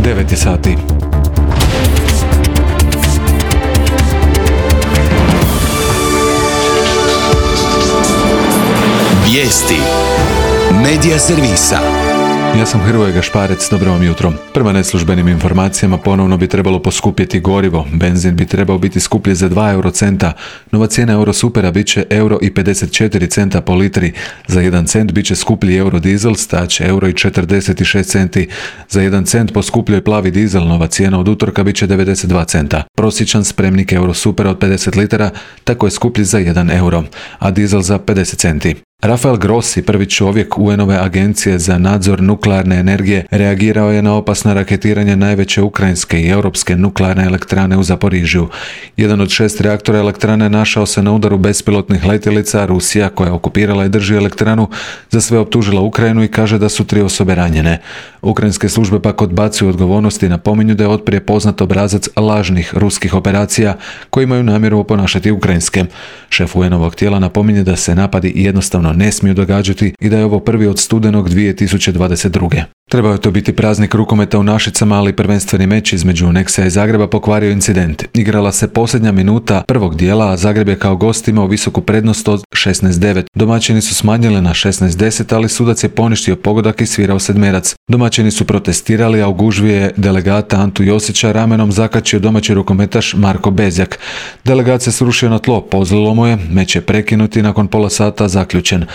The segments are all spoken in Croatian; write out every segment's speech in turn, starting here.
9 sati. Vijesti Medija servisa. Ja sam Hrvoje Gašparec, dobro vam jutro. Prema neslužbenim informacijama ponovno bi trebalo poskupjeti gorivo. Benzin bi trebao biti skuplji za 2 eurocenta. Nova cijena Eurosupera bit će €1,54 po litri. Za 1 cent bit će skuplji eurodizel, staće €1,46. Za 1 cent poskupljuje plavi dizel, nova cijena od utorka bit će 92 centa. Prosječan spremnik Eurosupera od 50 litara tako je skuplji za 1 euro, a dizel za 50 centi. Rafael Grossi, prvi čovjek UN-ove agencije za nadzor nuklearne energije, reagirao je na opasna raketiranja najveće ukrajinske i europske nuklearne elektrane u Zaporižju. Jedan od 6 reaktora elektrane našao se na udaru bespilotnih letjelica. Rusija, koja je okupirala i drži elektranu, za sve optužila Ukrajinu i kaže da su 3 osobe ranjene. Ukrajinske službe pak odbacuju odgovornosti i napominju da je otprije poznat obrazac lažnih ruskih operacija koji imaju namjeru oponašati ukrajinske. Šef UN-ovog tijela napominje da se napadi jednostavno ne smiju događati i da je ovo prvi od studenog 2022. Trebao je to biti praznik rukometa u Našicama, ali prvenstveni meč između Nexa i Zagreba pokvario incident. Igrala se posljednja minuta prvog dijela, a Zagreb je kao gost imao visoku prednost od 16-9. Domaćini su smanjili na 16-10, ali sudac je poništio pogodak i svirao sedmerac. Domaćini su protestirali, a u gužvi je delegata Antu Josića ramenom zakačio domaći rukometaš Marko Bezjak. Delegat se srušio na tlo, pozlilo mu je, meč je prekinut i nakon pola sata zaključen.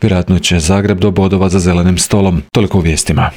Vjerojatno će Zagreb do bodova za zelenim stolom. Toliko u vijestima.